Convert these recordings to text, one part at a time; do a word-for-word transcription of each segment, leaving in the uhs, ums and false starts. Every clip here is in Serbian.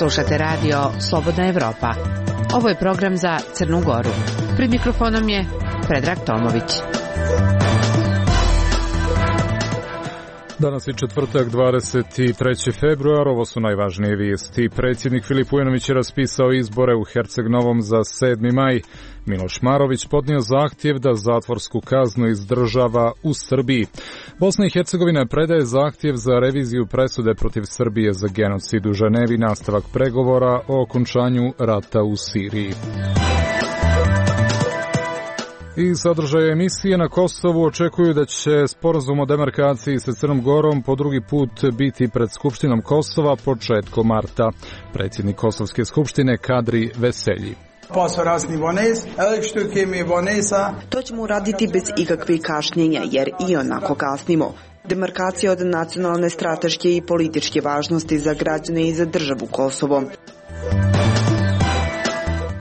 Slušate radio Slobodna Evropa. Ovo je program za Crnu Goru. Pred mikrofonom je Predrag Tomović. Danas je četvrtak, dvadeset treći februar, ovo su najvažnije vijesti. Predsjednik Filip Ujanović je raspisao izbore u Herceg Novom za sedmi maj. Miloš Marović podnio zahtjev da zatvorsku kaznu izdržava u Srbiji. Bosna i Hercegovina predaje zahtjev za reviziju presude protiv Srbije za genocid u Ženevi, nastavak pregovora o okončanju rata u Siriji. I sadržaje emisije na Kosovu očekuju da će sporazum o demarkaciji sa Crnom Gorom po drugi put biti pred Skupštinom Kosova početkom marta. Predsjednik Kosovske skupštine Kadri Veselji. To ćemo uraditi bez ikakvih kašnjenja, jer i onako kasnimo. Demarkacija od nacionalne, strateške i političke važnosti za građane i za državu Kosovo.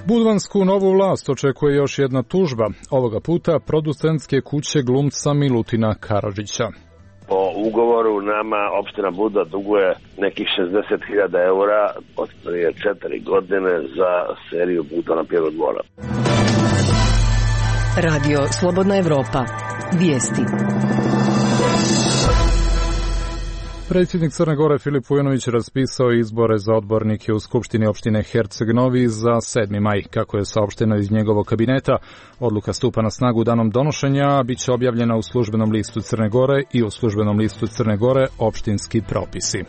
Budvansku novu vlast očekuje još jedna tužba, ovoga puta producentske kuće glumca Milutina Karadžića. Po ugovoru nama opština Budva duguje nekih šezdeset hiljada eura od prije četiri godine za seriju Puta na Pjeru dvora. Radio Slobodna Evropa. Vijesti. Predsjednik Crne Gore Filip Ujanović raspisao izbore za odbornike u Skupštini opštine Herceg Novi za sedmi maj. Kako je saopšteno iz njegovog kabineta, odluka stupa na snagu danom donošenja, a bit će objavljena u službenom listu Crne Gore i u službenom listu Crne Gore opštinski propisi.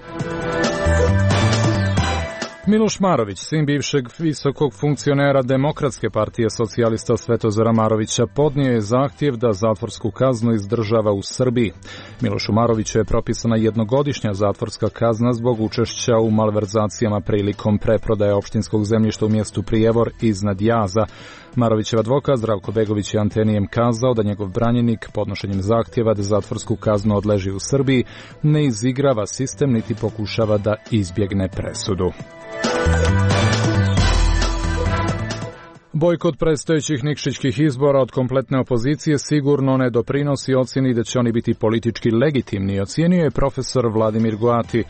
Miloš Marović, sin bivšeg visokog funkcionera Demokratske partije socijalista Svetozara Marovića, podnio je zahtjev da zatvorsku kaznu izdržava u Srbiji. Milošu Maroviću je propisana jednogodišnja zatvorska kazna zbog učešća u malverzacijama prilikom preprodaje opštinskog zemljišta u mjestu Prijevor iznad Jaza. Marovićev advokat Zdravko Begović je Antenijem kazao da njegov branjenik podnošenjem zahtjeva da zatvorsku kaznu odleži u Srbiji ne izigrava sistem niti pokušava da izbjegne presudu. Bojkot predstojećih nikšićkih izbora od kompletne opozicije sigurno ne doprinosi ocjeni da će oni biti politički legitimni, ocijenio je profesor Vladimir Goati.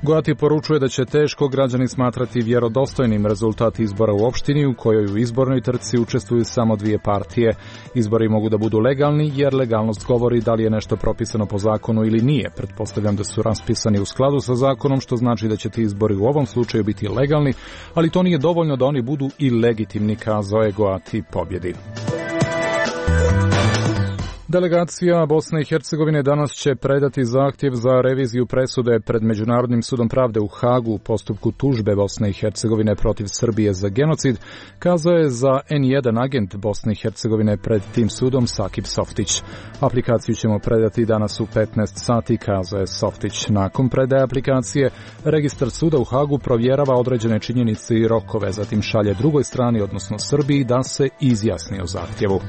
Goati poručuje da će teško građani smatrati vjerodostojnim rezultat izbora u opštini u kojoj u izbornoj trci učestvuju samo dvije partije. Izbori mogu da budu legalni jer legalnost govori da li je nešto propisano po zakonu ili nije. Pretpostavljam da su raspisani u skladu sa zakonom, što znači da će ti izbori u ovom slučaju biti legalni, ali to nije dovoljno da oni budu i legitimni, kazao je Goati pobjedi. Delegacija Bosne i Hercegovine danas će predati zahtjev za reviziju presude pred Međunarodnim sudom pravde u Hagu u postupku tužbe Bosne i Hercegovine protiv Srbije za genocid, kazao je za en jedan agent Bosne i Hercegovine pred tim sudom Sakip Softić. Aplikaciju ćemo predati danas u petnaest sati, kazao je Softić. Nakon predaje aplikacije, registar suda u Hagu provjerava određene činjenice i rokove, zatim šalje drugoj strani, odnosno Srbiji, da se izjasni o zahtjevu.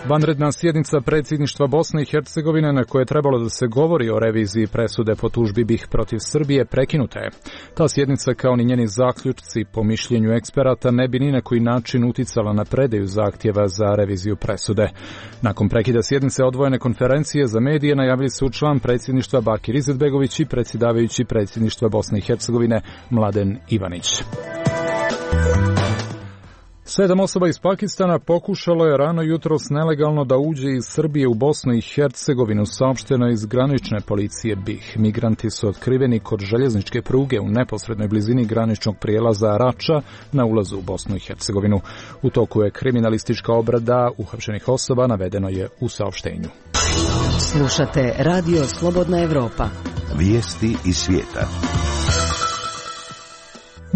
Vanredna sjednica predsjedništva Bosne i Hercegovine na kojoj je trebalo da se govori o reviziji presude po tužbi BiH protiv Srbije prekinuta je. Ta sjednica, kao ni njeni zaključci, po mišljenju eksperata, ne bi ni na koji način uticala na predaju zahtjeva za reviziju presude. Nakon prekida sjednice odvojene konferencije za medije najavili su član predsjedništva Bakir Izetbegović i predsjedavajući predsjedništva Bosne i Hercegovine Mladen Ivanić. Sedam osoba iz Pakistana pokušalo je rano jutros nelegalno da uđe iz Srbije u Bosnu i Hercegovinu, saopšteno iz granične policije BiH. Migranti su otkriveni kod željezničke pruge u neposrednoj blizini graničnog prijelaza Rača na ulazu u Bosnu i Hercegovinu. U toku je kriminalistička obrada uhapšenih osoba, navedeno je u saopštenju. Slušate Radio Slobodna Evropa. Vijesti iz svijeta.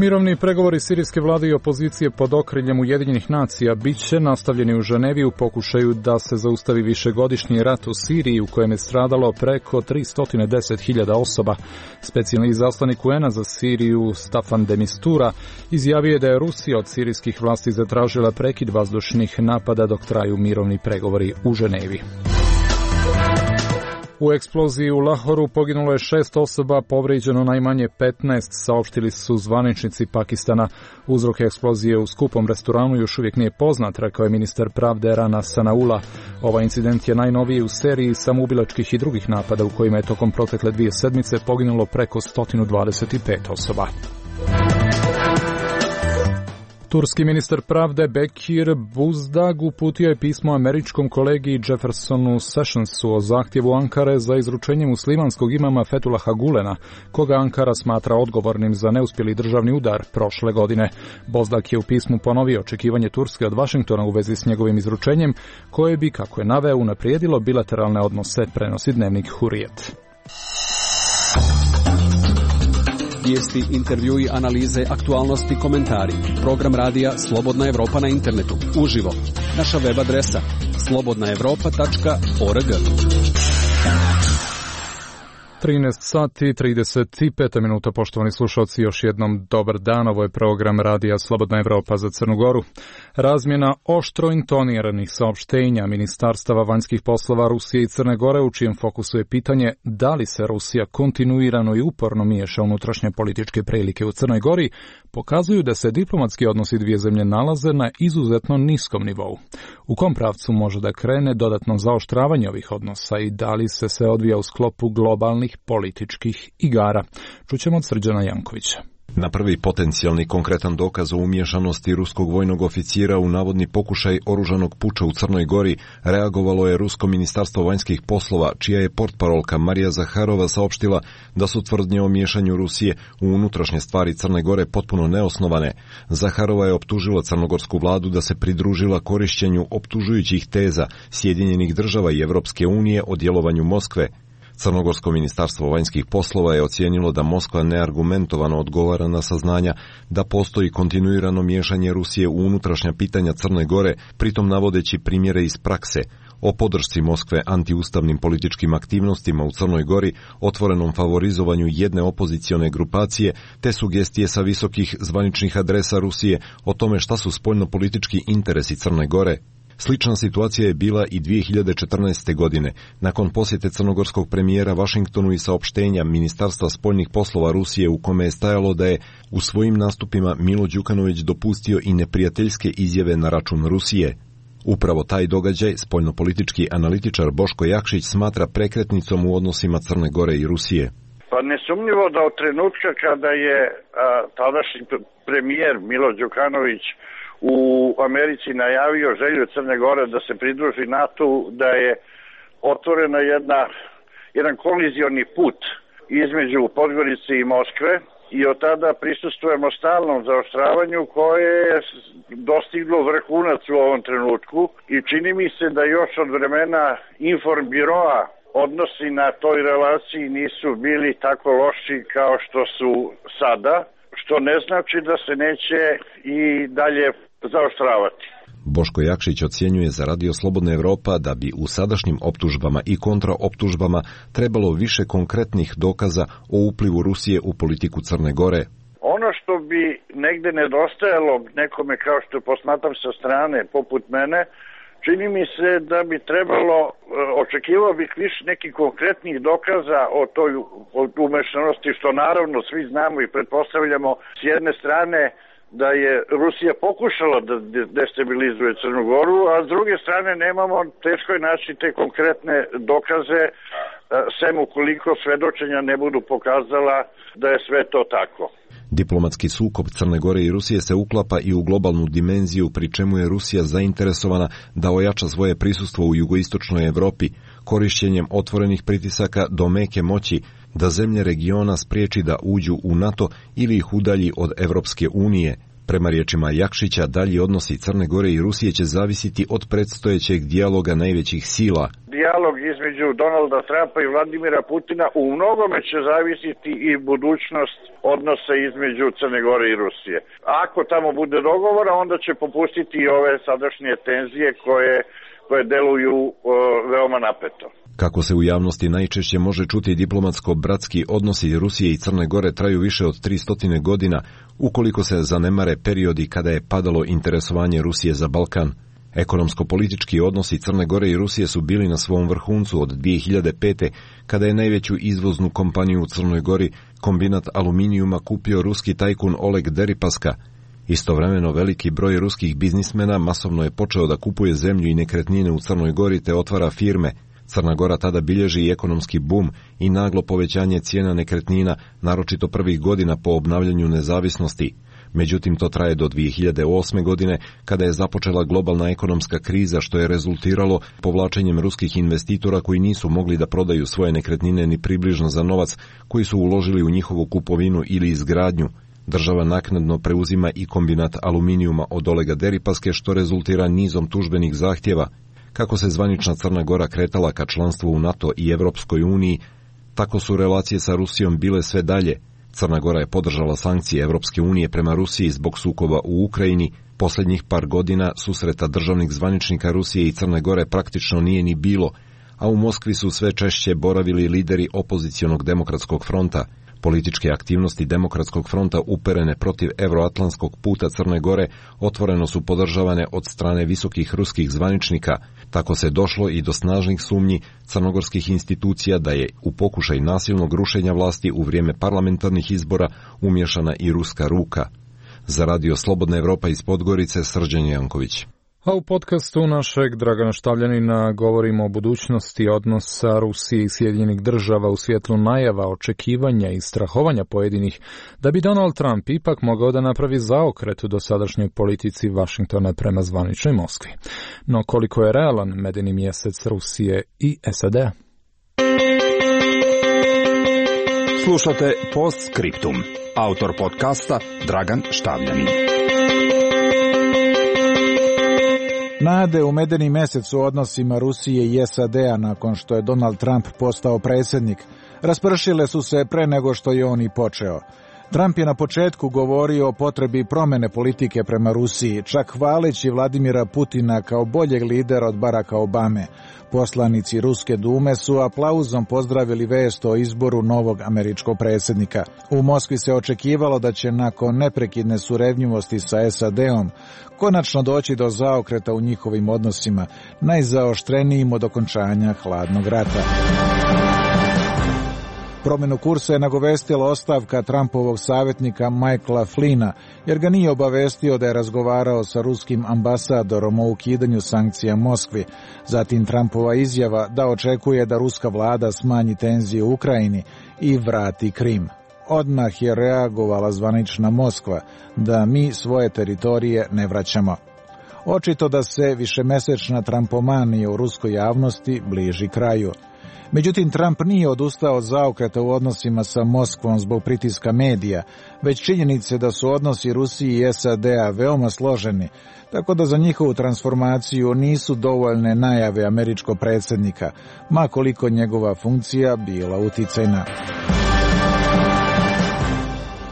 Mirovni pregovori sirijske vlade i opozicije pod okriljem Ujedinjenih nacija bit će nastavljeni u Ženevi u pokušaju da se zaustavi višegodišnji rat u Siriji u kojem je stradalo preko tristo deset hiljada osoba. Specijalni izaslanik U N-a za Siriju Staffan de Mistura izjavio je da je Rusija od sirijskih vlasti zatražila prekid vazdušnih napada dok traju mirovni pregovori u Ženevi. U eksploziji u Lahoru poginulo je šest osoba, povrijeđeno najmanje petnaest, saopštili su zvaničnici Pakistana. Uzrok eksplozije u skupom restoranu još uvijek nije poznat, rekao je ministar pravde Rana Sanaullah. Ovaj incident je najnoviji u seriji samoubilačkih i drugih napada u kojima je tokom protekle dvije sedmice poginulo preko sto dvadeset pet osoba. Turski ministar pravde Bekir Buzdag uputio je pismo američkom kolegi Jeffersonu Sessionsu o zahtjevu Ankare za izručenje muslimanskog imama Fethullaha Gulena, koga Ankara smatra odgovornim za neuspjeli državni udar prošle godine. Buzdag je u pismu ponovio očekivanje Turske od Vašingtona u vezi s njegovim izručenjem, koje bi, kako je naveo, unaprijedilo bilateralne odnose, prenosi dnevnik Hurrijet. Vijesti, intervjui, analize, aktualnosti, komentari. Program radija Slobodna Evropa na internetu. Uživo. Naša web adresa slobodna evropa tačka org. trinaest sati i trideset pet minuta, poštovani slušalci, još jednom dobar dan, ovo je program radija Slobodna Evropa za Crnu Goru. Razmjena oštro intoniranih saopštenja ministarstava vanjskih poslova Rusije i Crne Gore, u čijem fokusu je pitanje da li se Rusija kontinuirano i uporno miješa unutrašnje političke prilike u Crnoj Gori, pokazuju da se diplomatski odnosi dvije zemlje nalaze na izuzetno niskom nivou. U kom pravcu može da krene dodatno zaoštravanje ovih odnosa i da li se sve odvija u sklopu globalnih političkih igara? Čućemo od Srđana Jankovića. Na prvi potencijalni konkretan dokaz o umiješanosti ruskog vojnog oficira u navodni pokušaj oružanog puča u Crnoj Gori reagovalo je Rusko ministarstvo vanjskih poslova, čija je portparolka Marija Zaharova saopštila da su tvrdnje o miješanju Rusije u unutrašnje stvari Crne Gore potpuno neosnovane. Zaharova je optužila crnogorsku vladu da se pridružila korišćenju optužujućih teza Sjedinjenih država i Evropske unije o djelovanju Moskve. Crnogorsko ministarstvo vanjskih poslova je ocijenilo da Moskva neargumentovano odgovara na saznanja da postoji kontinuirano miješanje Rusije u unutrašnja pitanja Crne Gore, pritom navodeći primjere iz prakse o podršci Moskve antiustavnim političkim aktivnostima u Crnoj Gori, otvorenom favorizovanju jedne opozicione grupacije, te sugestije sa visokih zvaničnih adresa Rusije o tome šta su spoljnopolitički interesi Crne Gore. Slična situacija je bila i dvije hiljade četrnaeste. godine, nakon posjete crnogorskog premijera Vašingtonu i saopštenja Ministarstva spoljnih poslova Rusije u kome je stajalo da je u svojim nastupima Milo Đukanović dopustio i neprijateljske izjave na račun Rusije. Upravo taj događaj spoljnopolitički analitičar Boško Jakšić smatra prekretnicom u odnosima Crne Gore i Rusije. Pa nesumnjivo da od trenutka kada je a, tadašnji premijer Milo Đukanović u Americi najavio želju Crne Gore da se pridruži NATO-u, da je otvorena jedna, jedan kolizioni put između Podgorice i Moskve i od tada prisustvujemo stalnom zaoštravanju koje je dostiglo vrhunac u ovom trenutku i čini mi se da još od vremena Informbiroa odnosi na toj relaciji nisu bili tako loši kao što su sada, što ne znači da se neće i dalje zaoštravati. Boško Jakšić ocjenjuje za Radio Slobodna Evropa da bi u sadašnjim optužbama i kontraoptužbama trebalo više konkretnih dokaza o uplivu Rusije u politiku Crne Gore. Ono što bi negde nedostajalo nekome kao što posmatram sa strane poput mene, čini mi se da bi trebalo, očekivao bih više nekih konkretnih dokaza o toj umešanosti, što naravno svi znamo i pretpostavljamo s jedne strane da je Rusija pokušala da destabilizuje Crnu Goru, a s druge strane nemamo, teško je naći te konkretne dokaze, sem ukoliko svedočenja ne budu pokazala da je sve to tako. Diplomatski sukob Crne Gore i Rusije se uklapa i u globalnu dimenziju, pri čemu je Rusija zainteresovana da ojača svoje prisustvo u jugoistočnoj Evropi, korišćenjem otvorenih pritisaka do meke moći, da zemlje regiona spriječi da uđu u NATO ili ih udalji od Evropske unije. Prema riječima Jakšića, dalji odnosi Crne Gore i Rusije će zavisiti od predstojećeg dijaloga najvećih sila. Dijalog između Donalda Trumpa i Vladimira Putina u mnogome će zavisiti i budućnost odnosa između Crne Gore i Rusije. Ako tamo bude dogovora, onda će popustiti i ove sadašnje tenzije koje, koje deluju uh, veoma napeto. Kako se u javnosti najčešće može čuti, diplomatsko-bratski odnosi Rusije i Crne Gore traju više od tristo godina, ukoliko se zanemare periodi kada je padalo interesovanje Rusije za Balkan. Ekonomsko-politički odnosi Crne Gore i Rusije su bili na svom vrhuncu od dvije hiljade pete. kada je najveću izvoznu kompaniju u Crnoj Gori, kombinat aluminijuma, kupio ruski tajkun Oleg Deripaska. Istovremeno veliki broj ruskih biznismena masovno je počeo da kupuje zemlju i nekretnine u Crnoj Gori te otvara firme. Crna Gora tada bilježi i ekonomski bum i naglo povećanje cijena nekretnina, naročito prvih godina po obnavljanju nezavisnosti. Međutim, to traje do dvije hiljade osme. godine, kada je započela globalna ekonomska kriza, što je rezultiralo povlačenjem ruskih investitora koji nisu mogli da prodaju svoje nekretnine ni približno za novac koji su uložili u njihovu kupovinu ili izgradnju. Država naknadno preuzima i kombinat aluminijuma od Olega Deripaske, što rezultira nizom tužbenih zahtjeva. Kako se zvanična Crna Gora kretala ka članstvu u NATO i Evropskoj uniji, tako su relacije sa Rusijom bile sve dalje. Crna Gora je podržala sankcije Evropske unije prema Rusiji zbog sukoba u Ukrajini. Posljednjih par godina susreta državnih zvaničnika Rusije i Crne Gore praktično nije ni bilo, a u Moskvi su sve češće boravili lideri opozicionog demokratskog fronta. Političke aktivnosti Demokratskog fronta uperene protiv evroatlantskog puta Crne Gore otvoreno su podržavane od strane visokih ruskih zvaničnika. Tako se došlo i do snažnih sumnji crnogorskih institucija da je u pokušaj nasilnog rušenja vlasti u vrijeme parlamentarnih izbora umješana i ruska ruka. Za Radio Slobodna Evropa iz Podgorice, Srđan Janković. A u podcastu našeg Dragana Štavljanina govorimo o budućnosti odnosa Rusije i Sjedinjenih država u svjetlu najava, očekivanja i strahovanja pojedinih da bi Donald Trump ipak mogao da napravi zaokret u dosadašnjoj politici Vašingtona prema zvaničnoj Moskvi. No koliko je realan medeni mjesec Rusije i S A D-a? Slušate Postscriptum. Autor podcasta Dragan Štavljanin. Nade u medeni mjesec u odnosima Rusije i S A D-a nakon što je Donald Trump postao predsjednik raspršile su se pre nego što je on i počeo. Trump je na početku govorio o potrebi promjene politike prema Rusiji, čak hvaleći Vladimira Putina kao boljeg lidera od Baracka Obame. Poslanici Ruske dume su aplauzom pozdravili vest o izboru novog američkog predsjednika. U Moskvi se očekivalo da će nakon neprekidne surevnjivosti sa S A D-om konačno doći do zaokreta u njihovim odnosima, najzaoštrenijim od okončanja hladnog rata. Promjenu kursa je nagovestila ostavka Trumpovog savjetnika Michaela Flynna, jer ga nije obavestio da je razgovarao sa ruskim ambasadorom o ukidanju sankcija Moskvi. Zatim Trumpova izjava da očekuje da ruska vlada smanji tenzije u Ukrajini i vrati Krim. Odmah je reagovala zvanična Moskva da mi svoje teritorije ne vraćamo. Očito da se višemesečna Trumpomanija u ruskoj javnosti bliži kraju. Međutim, Trump nije odustao od zaokreta u odnosima sa Moskvom zbog pritiska medija, već činjenice da su odnosi Rusije i S A D-a veoma složeni, tako da za njihovu transformaciju nisu dovoljne najave američkog predsjednika, ma koliko njegova funkcija bila uticajna.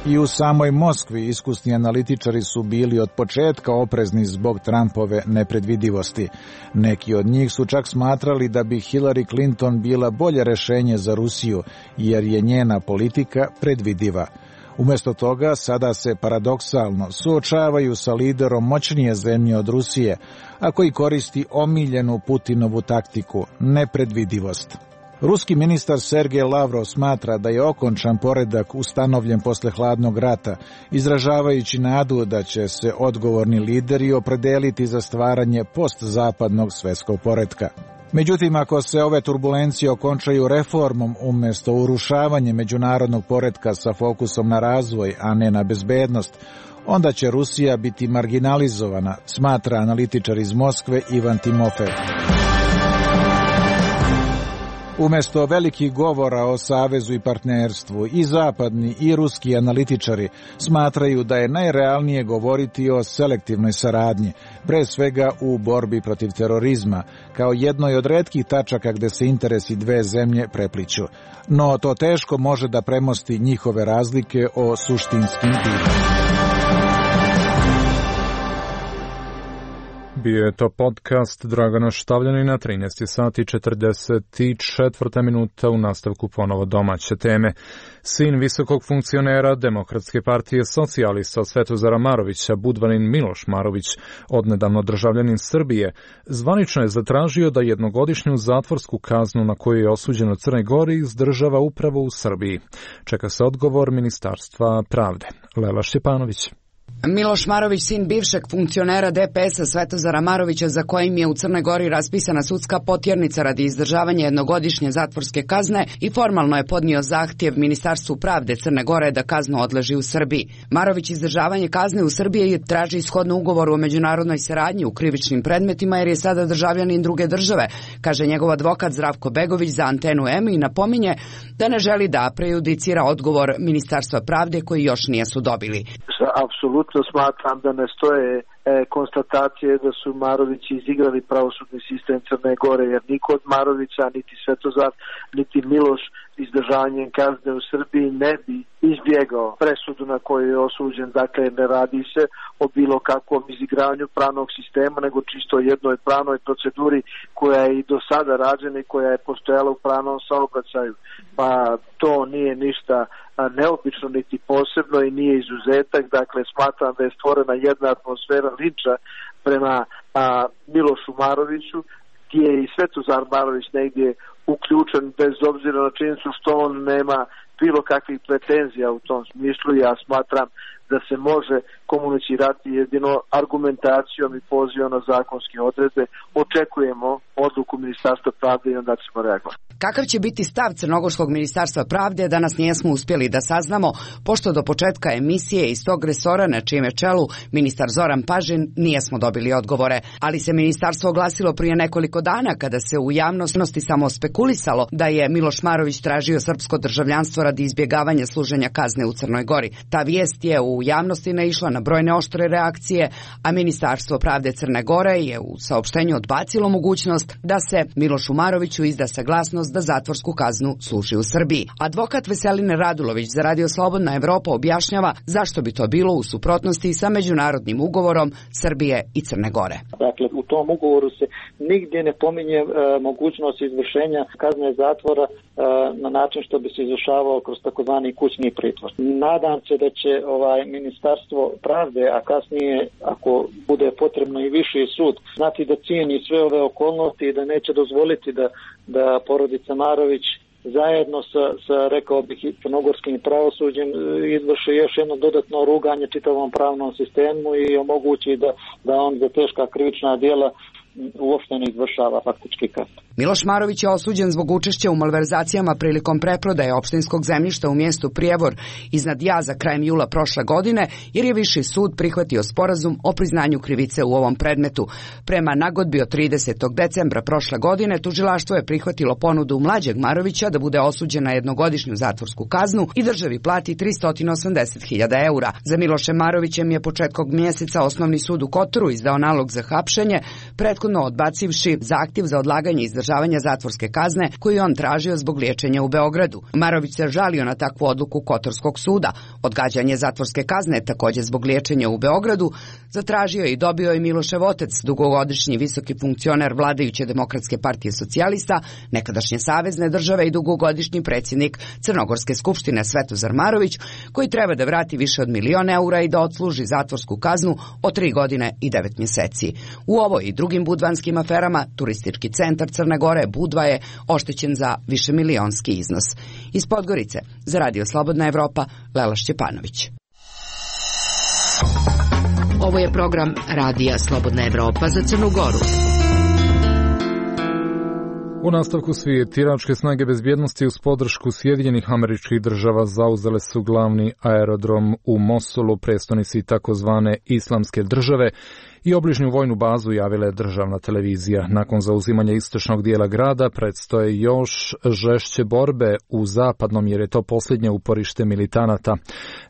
I u samoj Moskvi iskusni analitičari su bili od početka oprezni zbog Trumpove nepredvidivosti. Neki od njih su čak smatrali da bi Hillary Clinton bila bolje rješenje za Rusiju, jer je njena politika predvidiva. Umjesto toga, sada se paradoksalno suočavaju sa liderom moćnije zemlje od Rusije, a koji koristi omiljenu Putinovu taktiku, nepredvidivost. Ruski ministar Sergej Lavrov smatra da je okončan poredak ustanovljen posle hladnog rata, izražavajući nadu da će se odgovorni lideri opredeliti za stvaranje postzapadnog svjetskog poretka. Međutim, ako se ove turbulencije okončaju reformom umjesto urušavanjem međunarodnog poretka sa fokusom na razvoj, a ne na bezbednost, onda će Rusija biti marginalizovana, smatra analitičar iz Moskve Ivan Timofev. Umjesto velikih govora o savezu i partnerstvu, i zapadni i ruski analitičari smatraju da je najrealnije govoriti o selektivnoj saradnji, pre svega u borbi protiv terorizma, kao jednoj od retkih tačaka gde se interesi dve zemlje prepliću. No to teško može da premosti njihove razlike o suštinskim pitanjima. Bio je to podcast Dragana Štavljanina, trinaest sati četrdeset četiri minuta, u nastavku ponovo domaće teme. Sin visokog funkcionera Demokratske partije socijalista Svetozara Marovića, Budvanin Miloš Marović, odnedavno državljanin Srbije, zvanično je zatražio da jednogodišnju zatvorsku kaznu na koju je osuđen u Crnoj Gori izdržava upravo u Srbiji. Čeka se odgovor Ministarstva pravde. Lela Šćepanović. Miloš Marović, sin bivšeg funkcionera D P S-a Svetozara Marovića, za kojim je u Crnoj Gori raspisana sudska potjernica radi izdržavanja jednogodišnje zatvorske kazne, i formalno je podnio zahtjev Ministarstvu pravde Crne Gore da kaznu odleži u Srbiji. Marović izdržavanje kazne u Srbiji traži ishodno ugovoru o međunarodnoj saradnji u krivičnim predmetima jer je sada državljanin druge države, kaže njegov advokat Zdravko Begović za Antenu M i napominje da ne želi da prejudicira odgovor Ministarstva pravde koji još nisu dobili. Apsolutno smatram da ne stoje e, konstatacije da su Marovići izigrali pravosudni sistem Crne Gore, jer niko od Marovića, niti Svetozar, niti Miloš izdržavanjem kazne u Srbiji ne bi izbjegao presudu na koju je osuđen. Dakle, ne radi se o bilo kakvom izigravanju pravnog sistema, nego čisto jednoj pravnoj proceduri koja je i do sada rađena i koja je postojala u pravnom saobraćaju. Pa to nije ništa neobično niti posebno i nije izuzetak. Dakle, smatram da je stvorena jedna atmosfera linča prema a, Milošu Maroviću, gdje je i Svetozar Marović negdje uključen, bez obzira na činjenicu što on nema bilo kakvih pretenzija u tom smislu. Ja smatram da se može komunicirati jedino argumentacijom i pozivom na zakonske odredbe. Očekujemo odluku Ministarstva pravde i onda ćemo reagovati. Kakav će biti stav Crnogorskog ministarstva pravde, danas nijesmo uspjeli da saznamo, pošto do početka emisije iz tog resora, na čijem je čelu ministar Zoran Pažin, nijesmo dobili odgovore. Ali se ministarstvo oglasilo prije nekoliko dana kada se u javnosti samo spekulisalo da je Miloš Marović tražio srpsko državljanstvo radi izbjegavanja služenja kazne u Crnoj Gori. Ta vijest je u javnosti naišla na brojne oštre reakcije, a Ministarstvo pravde Crne Gore je u saopštenju odbacilo mogućnost da se Milošu Maroviću izda saglasnost da zatvorsku kaznu služi u Srbiji. Advokat Veselin Radulović za Radio Slobodna Evropa objašnjava zašto bi to bilo u suprotnosti sa međunarodnim ugovorom Srbije i Crne Gore. Dakle, u tom ugovoru se nigdje ne pominje e, mogućnost izvršenja kazne zatvora e, na način što bi se izvršavao kroz takozvani kućni pritvor. Nadam se da će ovaj Ministarstvo pravde, a kasnije ako bude potrebno i viši sud, znati da cijeni sve ove okolnosti i da neće dozvoliti da, da porodica Marović zajedno sa, sa rekao bih, crnogorskim pravosuđem izvrši još jedno dodatno ruganje čitavom pravnom sistemu i omogući da, da on za teška krivična djela uopšte ne izvršava faktički kaznu. Miloš Marović je osuđen zbog učešća u malverzacijama prilikom preprodaje opštinskog zemljišta u mjestu Prijevor iznad Jaza krajem jula prošle godine, jer je viši sud prihvatio sporazum o priznanju krivice u ovom predmetu. Prema nagodbi od tridesetog decembra prošle godine tužilaštvo je prihvatilo ponudu mlađeg Marovića da bude osuđen na jednogodišnju zatvorsku kaznu i državi plati tristo osamdeset hiljada eura. Za Milošem Marovićem je početkom mjeseca Osnovni sud u Kotoru izdao nalog za hapšenje, prethodno odbacivši zahtjev za odlaganje izdržavanja zatvorske kazne koju on tražio zbog liječenja u Beogradu. Marović se žalio na takvu odluku Kotorskog suda. Odgađanje zatvorske kazne, također zbog liječenja u Beogradu, zatražio i dobio i Milošev otac, dugogodišnji visoki funkcioner vladajuće Demokratske partije socijalista, nekadašnje savezne države i dugogodišnji predsjednik Crnogorske skupštine Svetozar Marović, koji treba da vrati više od milion eura i da odsluži zatvorsku kaznu od tri godine i devet mjeseci. U ovoj i drugim budvanskim aferama turistički centar Crne Gore Budva je oštećen za višemilionski iznos. Iz Podgorice za Radio Slobodna Evropa, Lela Šćepanović. Ovo je program Radija Slobodna Evropa za Crnu Goru. U nastavku svijet, iračke snage bezbjednosti uz podršku Sjedinjenih Američkih Država zauzele su glavni aerodrom u Mosulu, prestonici takozvane Islamske države, i obližnju vojnu bazu javila je državna televizija. Nakon zauzimanja istočnog dijela grada predstoje još žešće borbe u zapadnom, jer je to posljednje uporište militanata.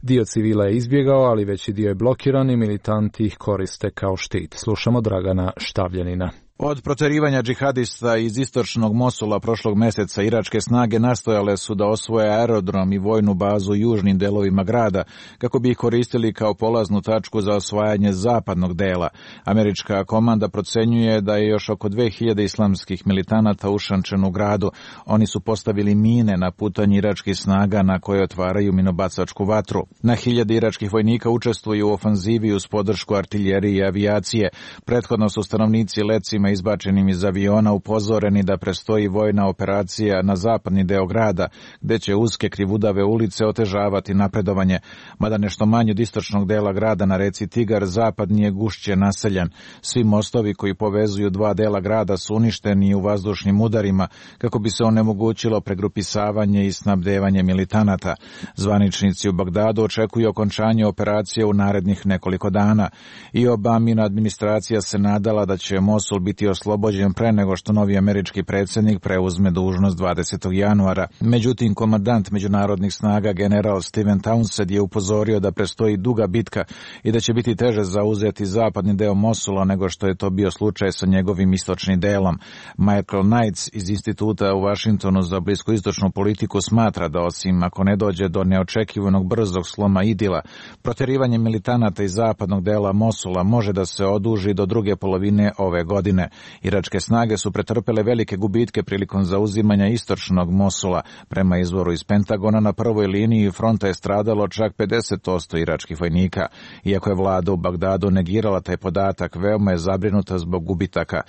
Dio civila je izbjegao, ali veći dio je blokiran i militanti ih koriste kao štit. Slušamo Dragana Štavljanina. Od proterivanja džihadista iz istočnog Mosula prošlog mjeseca iračke snage nastojale su da osvoje aerodrom i vojnu bazu u južnim delovima grada, kako bi ih koristili kao polaznu tačku za osvajanje zapadnog dela. Američka komanda procenjuje da je još oko dve hiljade islamskih militanata ušančen u gradu. Oni su postavili mine na putanji iračkih snaga na koje otvaraju minobacačku vatru. Na hiljade iračkih vojnika učestvuju u ofanzivi uz podršku artiljerije i avijacije. Prethodno su stanovnici lecima izbačenim iz aviona upozoreni da prestoji vojna operacija na zapadni deo grada, gde će uske krivudave ulice otežavati napredovanje. Mada nešto manje od istočnog dela grada na reci Tigar, zapadni je gušće naseljen. Svi mostovi koji povezuju dva dela grada su uništeni u vazdušnim udarima kako bi se onemogućilo pregrupisavanje i snabdevanje militanata. Zvaničnici u Bagdadu očekuju okončanje operacije u narednih nekoliko dana. I Obamina administracija se nadala da će Mosul biti oslobođen pre nego što novi američki predsjednik preuzme dužnost dvadesetog januara. Međutim, komandant međunarodnih snaga general Steven Townsend je upozorio da prestoji duga bitka i da će biti teže zauzeti zapadni deo Mosula nego što je to bio slučaj sa njegovim istočnim delom. Michael Knights iz instituta u Vašingtonu za bliskoistočnu politiku smatra da osim ako ne dođe do neočekivanog brzog sloma idila, proterivanje militanata iz zapadnog dela Mosula može da se oduži do druge polovine ove godine. Iračke snage su pretrpele velike gubitke prilikom zauzimanja istočnog Mosula. Prema izvoru iz Pentagona, na prvoj liniji fronta je stradalo čak pedeset posto iračkih vojnika. Iako je vlada u Bagdadu negirala taj podatak, veoma je zabrinuta zbog gubitaka.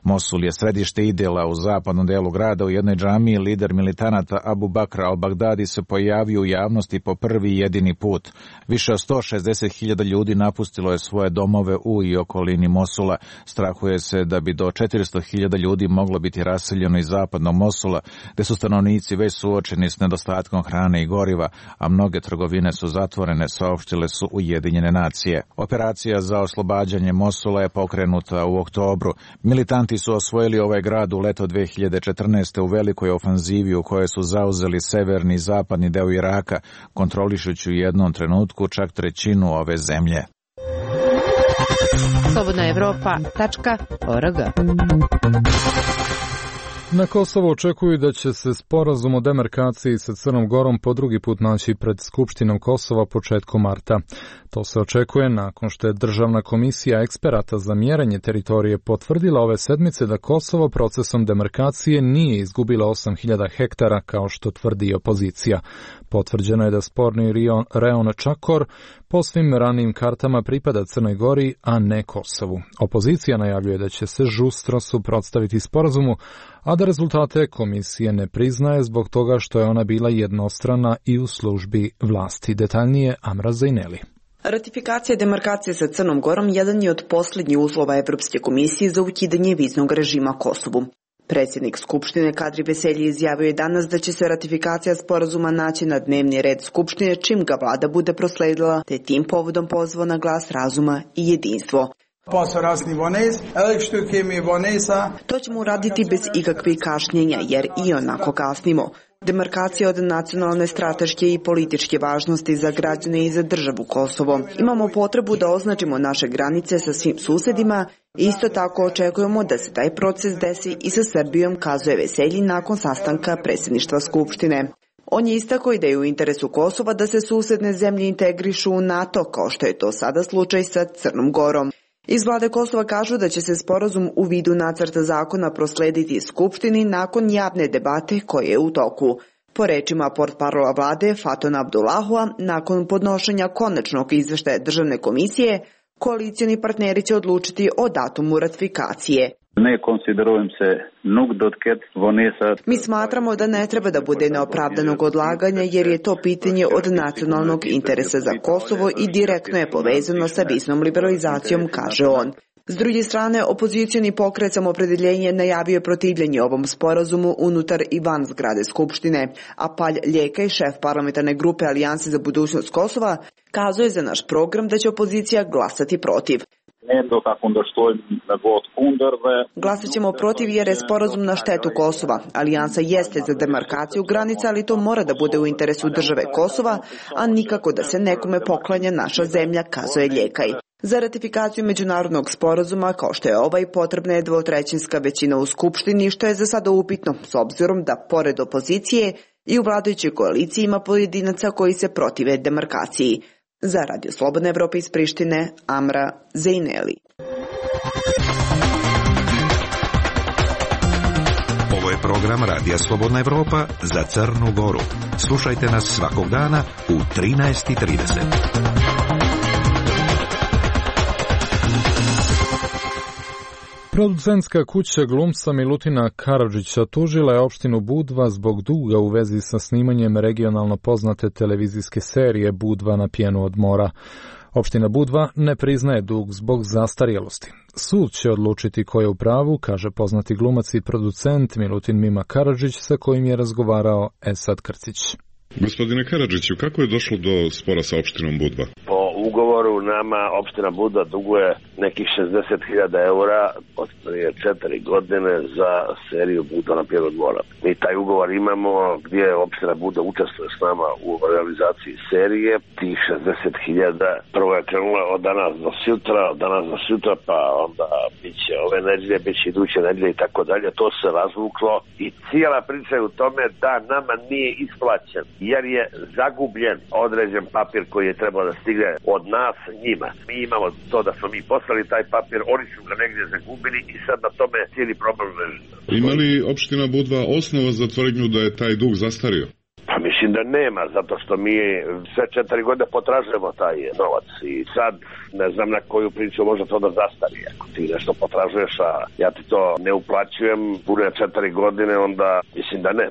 Mosul je središte idila u zapadnom delu grada. U jednoj džamiji lider militanata Abu Bakra al-Bagdadi se pojavio u javnosti po prvi i jedini put. Više od sto šezdeset hiljada ljudi napustilo je svoje domove u i okolini Mosula. Strahuje se da bi do četiristo hiljada ljudi moglo biti raseljeno iz zapadnog Mosula, gde su stanovnici već suočeni s nedostatkom hrane i goriva, a mnoge trgovine su zatvorene, saopštile su Ujedinjene nacije. Operacija za oslobađanje Mosula je pokrenuta u oktobru. Militanti su osvojili ovaj grad u leto dve hiljade četrnaeste. u velikoj ofanzivi u kojoj su zauzeli severni i zapadni deo Iraka, kontrolišući u jednom trenutku čak trećinu ove zemlje. slobodna evropa tačka org. Na Kosovo očekuju da će se sporazum o demarkaciji sa Crnom Gorom po drugi put naći pred Skupštinom Kosova početkom marta. To se očekuje nakon što je Državna komisija eksperata za mjerenje teritorije potvrdila ove sedmice da Kosovo procesom demarkacije nije izgubilo osam hiljada hektara kao što tvrdi opozicija. Potvrđeno je da sporni reon Čakor po svim ranijim kartama pripada Crnoj Gori, a ne Kosovu. Opozicija najavljuje da će se žustro suprotstaviti sporazumu, a da rezultate komisije ne priznaje zbog toga što je ona bila jednostrana i u službi vlasti. Detaljnije Amra Zajneli. Ratifikacija demarkacije sa Crnom Gorom jedan je od posljednjih uslova Evropske komisije za ukidanje viznog režima Kosovu. Predsjednik Skupštine Kadri Veselji izjavio je danas da će se ratifikacija sporazuma naći na dnevni red Skupštine čim ga vlada bude prosledila, te tim povodom pozvao na glas razuma i jedinstvo. To ćemo uraditi bez ikakvih kašnjenja, jer i onako kasnimo. Demarkacija od nacionalne, strateške i političke važnosti za građane i za državu Kosovo. Imamo potrebu da označimo naše granice sa svim susedima i isto tako očekujemo da se taj proces desi i sa Srbijom, kazuje Veselji nakon sastanka predsjedništva Skupštine. On je istakao i da je u interesu Kosova da se susedne zemlje integrišu u NATO, kao što je to sada slučaj sa Crnom Gorom. Iz vlade Kosova kažu da će se sporazum u vidu nacrta zakona proslediti Skupštini nakon javne debate koje je u toku. Po rečima portparola vlade Fatona Abdullahua, nakon podnošenja konačnog izveštaja Državne komisije, koalicioni partneri će odlučiti o datumu ratifikacije. Ne konsiderujem se nuk do të ketë vonesa. Mi smatramo da ne treba da bude neopravdanog odlaganja jer je to pitanje od nacionalnog interesa za Kosovo i direktno je povezano sa viznom liberalizacijom, kaže on. S druge strane, opozicioni pokret Samoopredjeljenje najavio protivljenje ovom sporazumu unutar i van zgrade Skupštine, a Palj Ljekaj, šef parlamentarne grupe Alijanse za budućnost Kosova, kazuje za naš program da će opozicija glasati protiv. Glasat ćemo protiv jer je sporazum na štetu Kosova. Alijansa jeste za demarkaciju granica, ali to mora da bude u interesu države Kosova, a nikako da se nekome poklanja naša zemlja, kazuje Ljekaj. Za ratifikaciju međunarodnog sporazuma, kao što je ovaj, potrebna je dvotrećinska većina u Skupštini, što je za sada upitno, s obzirom da, pored opozicije, i u vladajućoj koaliciji ima pojedinaca koji se protive demarkaciji. Za Radio Slobodna Evropa iz Prištine, Amra Zajneli. Ovo je program Radija Slobodna Evropa za Crnu Goru. Slušajte nas svakog dana u trinaest i trideset. Producentska kuća glumca Milutina Karadžića tužila je opštinu Budva zbog duga u vezi sa snimanjem regionalno poznate televizijske serije Budva na pjenu od mora. Opština Budva ne priznaje dug zbog zastarjelosti. Sud će odlučiti ko je u pravu, kaže poznati glumac i producent Milutin Mima Karadžić sa kojim je razgovarao Esad Krcić. Gospodine Karadžiću, kako je došlo do spora sa opštinom Budva? Po ugovoru nama opština Budva duguje nekih šezdeset hiljada eura od prije četiri godine za seriju Budva na pjenu od mora. Mi taj ugovor imamo gdje opština Budva učestvuje s nama u realizaciji serije. Tih šezdeset hiljada prvo je krenula od danas do sutra, od danas do sutra, pa onda bit će ove nedelje, bit će iduće nedelje i tako dalje. To se razvuklo i cijela priča je u tome da nama nije isplaćen, jer je zagubljen određen papir koji je trebao da stigne od nas njima. Mi imamo to da smo mi poslali taj papir, oni su ga negdje zagubili i sad na tome cijeli problem leži. Ima li opština Budva osnova za tvrdnju da je taj dug zastario? Pa mislim da nema, zato što mi sve četiri godine potražujemo taj novac i sad ne znam na koju priču može to da zastari. Ako ti nešto potražuješ, a ja ti to ne uplaćujem pune četiri godine, onda mislim da ne.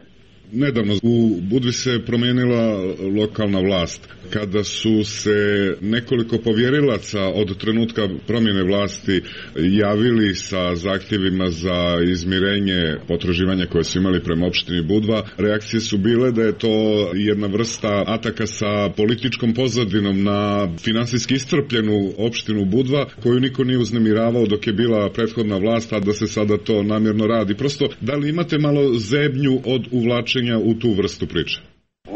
Nedavno u Budvi se promijenila lokalna vlast. Kada su se nekoliko povjerilaca od trenutka promjene vlasti javili sa zahtjevima za izmirenje potraživanja koje su imali prema opštini Budva, reakcije su bile da je to jedna vrsta ataka sa političkom pozadinom na finansijski iscrpljenu opštinu Budva, koju niko nije uznemiravao dok je bila prethodna vlast, a da se sada to namjerno radi. Prosto, da li imate malo zebnju od uvlačenja u tu vrstu priče?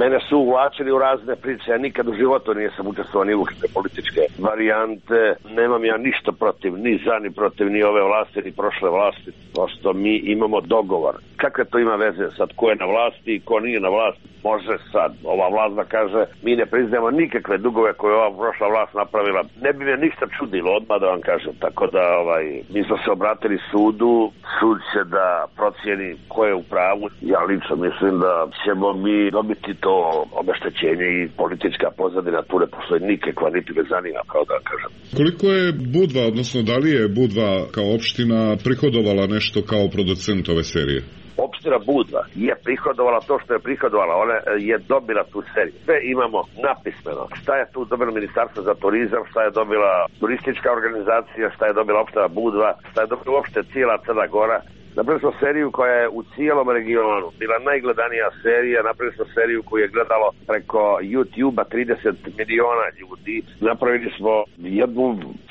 Mene su uvlačili u razne priče, ja nikad u životu nisam učestvovao ni u političke varijante, nemam ja ništa protiv, ni za, ni protiv, ni ove vlasti, ni prošle vlasti, prosto mi imamo dogovor. Kakve to ima veze sad, ko je na vlasti i ko nije na vlasti? Može sad ova vlast da kaže, mi ne priznajemo nikakve dugove koje ova prošla vlast napravila. Ne bi me ništa čudilo, odmah da vam kažem, tako da ovaj, mi smo se obratili sudu, sud će da procijeni ko je u pravu. Ja lično mislim da ćemo mi dobiti to obeštećenje i politička pozadina tu ne postoji nikakva, niti me zanima, kao da kažem. Koliko je Budva, odnosno da li je Budva kao opština prihodovala nešto kao producent ove serije? Opština Budva je prihodovala to što je prihodovala, ona je dobila tu seriju. Sve imamo napismeno. Šta je tu dobilo Ministarstvo za turizam, šta je dobila turistička organizacija, šta je dobila opština Budva, šta je dobila uopšte cijela Crna Gora. Napravili smo seriju koja je u cijelom regionu bila najgledanija serija, napravili smo seriju koju je gledalo preko YouTube-a trideset miliona ljudi. Napravili smo jednu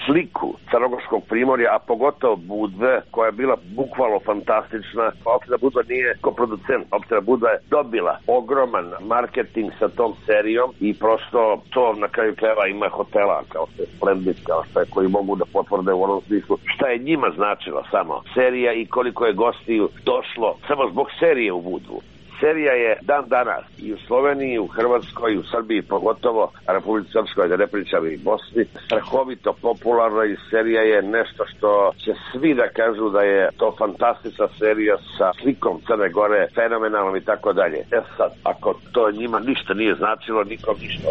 sliku Crnogorskog primorja, a pogotovo Budve, koja je bila bukvalno fantastična. Opština Budva nije ko producent, opština Budva je dobila ogroman marketing sa tom serijom i prosto to na kraju krajeva ima hotela kao što je Splendid, kao što je koji mogu da potvrde u onom smislu šta je njima značila samo serija i koliko je gostiju došlo samo zbog serije u Budvu. Serija je dan danas i u Sloveniji, i u Hrvatskoj, i u Srbiji, pogotovo Republici Srpskoj, da ne pričam i Bosni, strahovito popularna i serija je nešto što će svi da kažu da je to fantastična serija sa slikom Crne Gore, fenomenalnom i tako dalje. E sad, ako to njima ništa nije značilo, nikom ništa.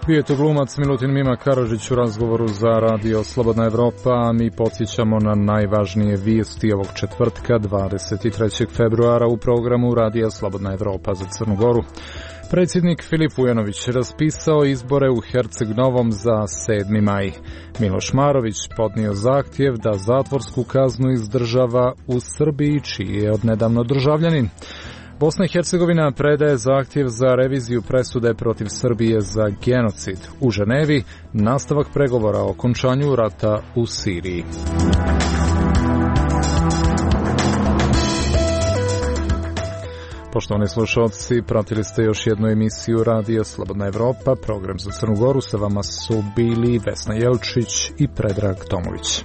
Bio je to glumac Milutin Mima Karadžić u razgovoru za Radio Slobodna Evropa, a mi podsjećamo na najvažnije vijesti ovog četvrtka, dvadeset trećeg februara u programu Radija Slobodna Evropa za Crnu Goru. Predsjednik Filip Vujanović raspisao izbore u Herceg Novom za sedmi maj. Miloš Marović podnio zahtjev da zatvorsku kaznu izdržava u Srbiji, čiji je odnedavno državljanin. Bosna i Hercegovina predaje zahtjev za reviziju presude protiv Srbije za genocid. U Ženevi nastavak pregovora o okončanju rata u Siriji. Poštovani slušalci, pratili ste još jednu emisiju Radija Slobodna Evropa. Program za Crnu Goru, sa vama su bili Vesna Jelčić i Predrag Tomović.